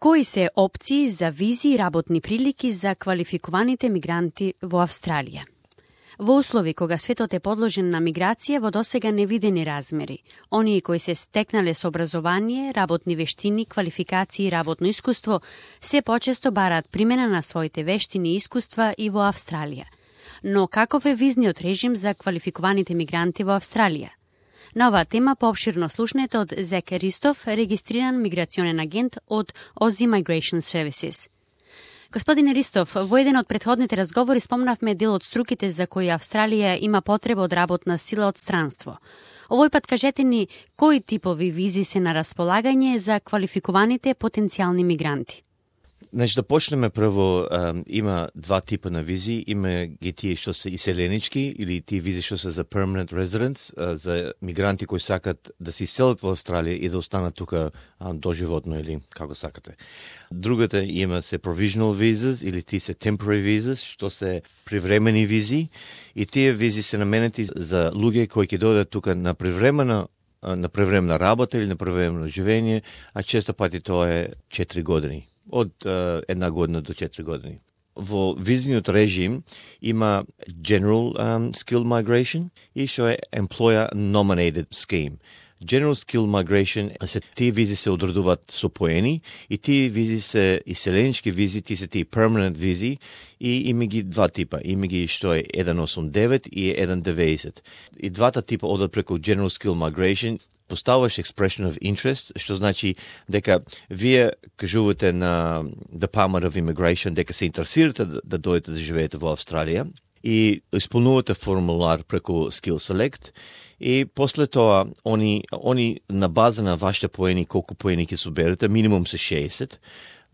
Кои се опции за визи и работни прилики за квалификуваните мигранти во Австралија? Во услови кога светот е подложен на миграција во досега невидени размери, оние кои се стекнале со образование, работни вештини, квалификации и работно искуство, се почесто бараат примена на своите вештини и искуства и во Австралија. Но каков е визниот режим за квалификуваните мигранти во Австралија? На оваа тема поопширно слушнете од Зек Ристов, регистриран миграционен агент од Aussie Migration Services. Господине Ристов, во еден од претходните разговори спомнавме дел од струките за кои Австралија има потреба од работна сила од странство. Овој пат кажете ни кои типови визи се на располагање за квалификуваните потенцијални мигранти. Значи да почнеме прво, има два типа на визи, има ги тие што се иселенички или тие визи што се за permanent residents, за мигранти кои сакат да се иселат во Австралија и да останат тука доживотно или како сакате. Другата има се provisional visas или тие се temporary visas, што се привремени визи и тие визи се наменети за луѓе кои ќе дојдат тука на привремена работа или на привремено живење, а често пати тоа е 4 години. Од 1 година до 4 години. Во визниот режим има General Skill Migration и што е Employer Nominated Scheme. General Skill Migration се тие визи се одредуваат со поени и тие визи се иселенички визи, тие се тие permanent визи и има ги два типа. Има ги што е 189 и 190. И двата типа одат преку General Skill Migration. Поставаш expression of interest, што значи дека вие кажувате на Department of Immigration дека се интересирате да дојдете да живеете во Австралија и исполнувате формулар преку Skill Select и после тоа они на база на вашите поени, колку поени ќе соберете, минимум се 60,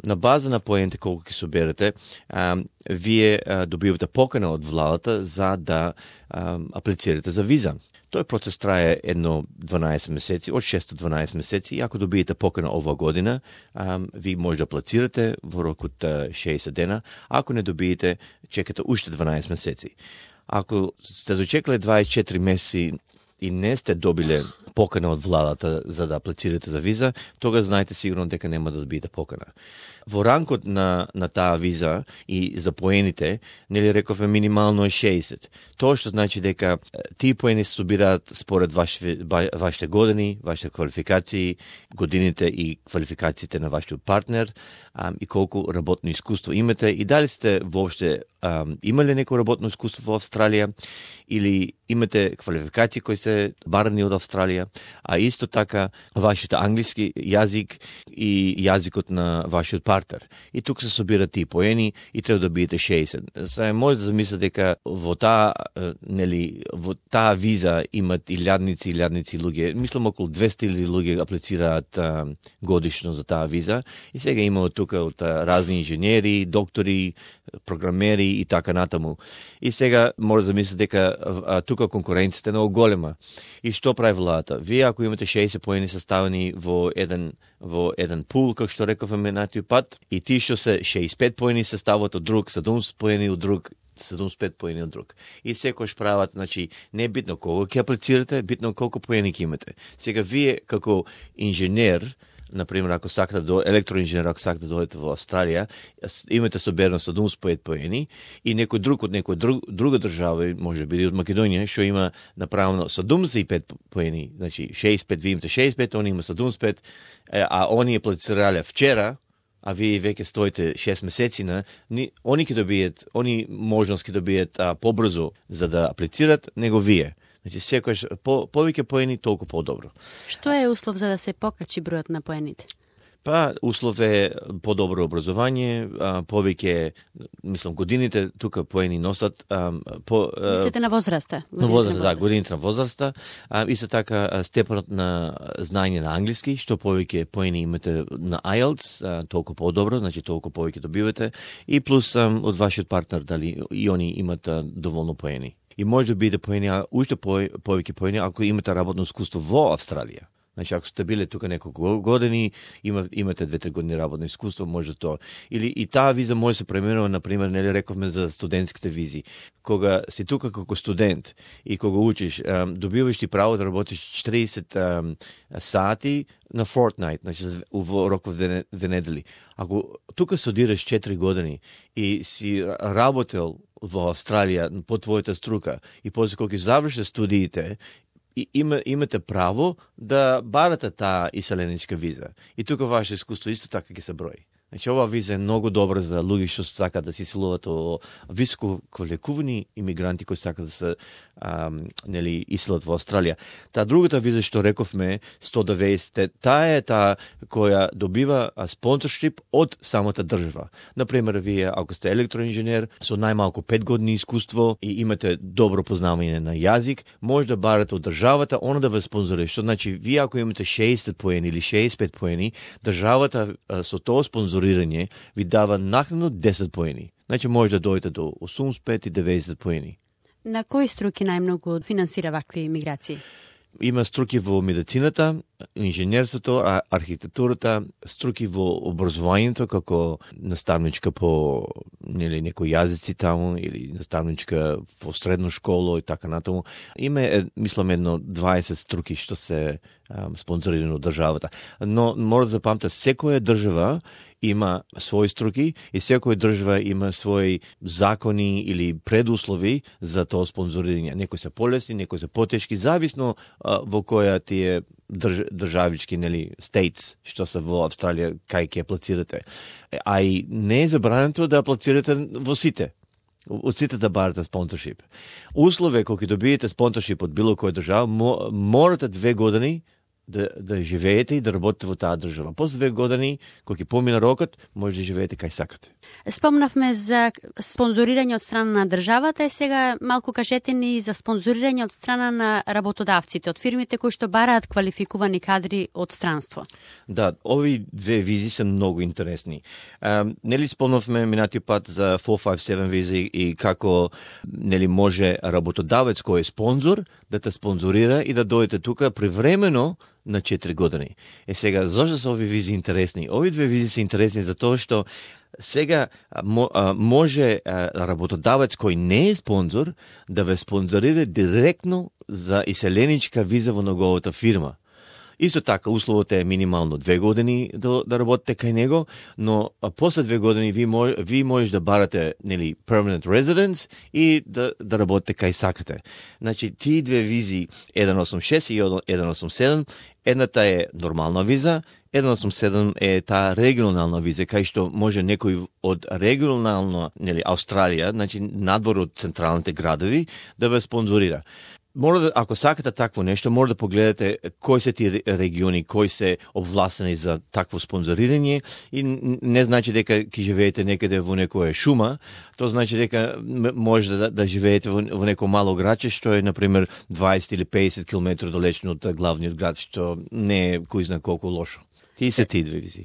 на база на поените колку ќе соберете, вие добивате покана од владата за да аплицирате за виза. Тој процес трае 12 месеци, од 6 до 12 месеци и ако добиете покана ова година, ви може да аплицирате во рок од 60 дена, ако не добиете, чекате уште 12 месеци. Ако сте дочекале 24 месеци и не сте добиле покана од владата за да аплицирате за виза, тога знаете сигурно дека нема да добиете покана. Во ранкот на таа виза и за поените, нели рековме минимално е 60. Тоа што значи дека тие поени се собираат според вашите години, вашите квалификации, годините и квалификациите на вашиот партнер и колку работно искуство имате и дали сте воопште имале неко работно искуство во Австралија или имате квалификации кои се барани од Австралија, а исто така вашиот англиски јазик и јазикот на вашиот партнер. И тука се собираат тие поени и треба да бидете 60. Сега може да замислите дека во таа виза имат илјадници луѓе. Мислам околу 200,000 луѓе аплицираат годишно за таа виза и сега има тука од разни инженери, доктори, програмери и така натаму. И сега може да замислите дека тука конкуренцијата е многу голема. И што прави владата? Вие ако имате 60 поени составени во еден пул, како што рековме на тој пат, и тие што се 65 поени се стават од друг, 70 поени од друг, 75 поени од друг. И секојаш прават, значи, не е битно колку ќе аплицирате, битно колку поени ќе имате. Сега вие како инженер, например, ако сакате електроинженер, ако сакате да дојдете во Австралија, имате соберено 75 поени и некој друг од друга држава, може да биде од Македонија, што има направено 75 поени, значи 65, вие имате 65, они има 75, а они аплицирале вчера, а вие веќе стоите 6 месеци они ќе добијат, они можност ќе добијат побрзо за да аплицират него вие. Значи, секојаш повеќе поени, толку подобро. Што е услов за да се покачи бројот на поените? Па, услов е подобро образование, повеќе, мислам, годините тука поени носат. Мислите на возраста? На возраста, да, годините на возраста. Исто така, степенот на знаење на англиски, што повеќе поени имате на IELTS, толку подобро, значи толку повеќе добивате. И плюс од вашиот партнер, дали и они имат доволно поени. И може да биде поени, уште повеќе поени, ако имате работно искуство во Австралија. Значи, ако сте биле тука неколку години, имате 2-3 години работно искуство, може тоа. Или и таа виза може се пременува, например, нели рековме за студентските визи. Кога си тука како студент и кога учиш, добиваш ти право да работиш 40 сати на fortnight, значи во роков две недели. Ако тука студираш 4 години и си работел во Австралија по твојата струка и после кога завршиш студиите, и имате право да барате таа иселеничка виза. И тука ваше искуство исто така ќе се брои. Значи, ова виза е многу добра за луѓе што сакаат да се иселуваат во високо квалификувани имигранти кои сакаат да се нели иселат во Австралија. Таа другата виза што рековме 190, таа е таа која добива спонсоршип од самата држава. Например, вие ако сте електроинженер со најмалку 5 години искуство и имате добро познавање на јазик, може да барате од државата она да ве спонзорира. Што значи вие ако имате 60 поени или 65 поени, државата со тоа спонзорирање ви дава накнадно 10 поени. Значи може да дојдете до 85 и 90 поени. На кои струки најмногу финансира вакви миграции? Има струки во медицината, инженерството, архитектурата, струки во образованието како наставничка по некои јазици таму или наставничка во средно школо и така натаму. Има мислам едно 20 струки што се спонзорирани од државата. Но мора да запамтите, секоја држава има своји струки и секоја држава има своји закони или предуслови за тоа спонзорирање. Некои се полесни, некои се потешки, зависно во која тие државички, нели, states, што се во Австралија, кај ќе аплицирате. А и не е забрането да аплицирате во сите. Од сите да барате спонсоршип. Услове кога ќе добиете спонсоршип од било која држава, морате 2 години да живеете и да работите во таа држава. После 2 години, кога ќе помине рокот, може да живеете кај сакате. Спомнавме за спонзорирање од страна на државата и сега малку кажете ни за спонзорирање од страна на работодавците, од фирмите кои што бараат квалификувани кадри од странство. Да, ови две визи се многу интересни. Нели спомнавме минатиот пат за 457 визи и како нели може работодавец кој е спонзор да те спонзорира и да дојдете тука привремено на 4 години. Сега, зашто се ови визи интересни? Ови две визи се интересни за тоа што сега може работодавец кој не е спонзор да ве спонзорира директно за иселеничка виза во неговата фирма. Исто така, условот е минимално 2 години да работите кај него, но после 2 години ви можеш да барате нели permanent residence и да работите кај сакате. Значи, тие две визи 186 и 187, едната е нормална виза, 187 е таа регионална виза, кај што може некој од регионална, нели, Австралија, значи надвор од централните градови, да ве спонзорира. Мора да, ако сакате такво нешто, мора да погледате кои се тие региони, кои се обвластени за такво спонзорирање и не значи дека ќе живеете некаде во некоја шума, тоа значи дека може да живеете во некој мало градче што е например 20 или 50 км далечно од главниот град, што не е кој знае колку лошо. Тие се тие две визи.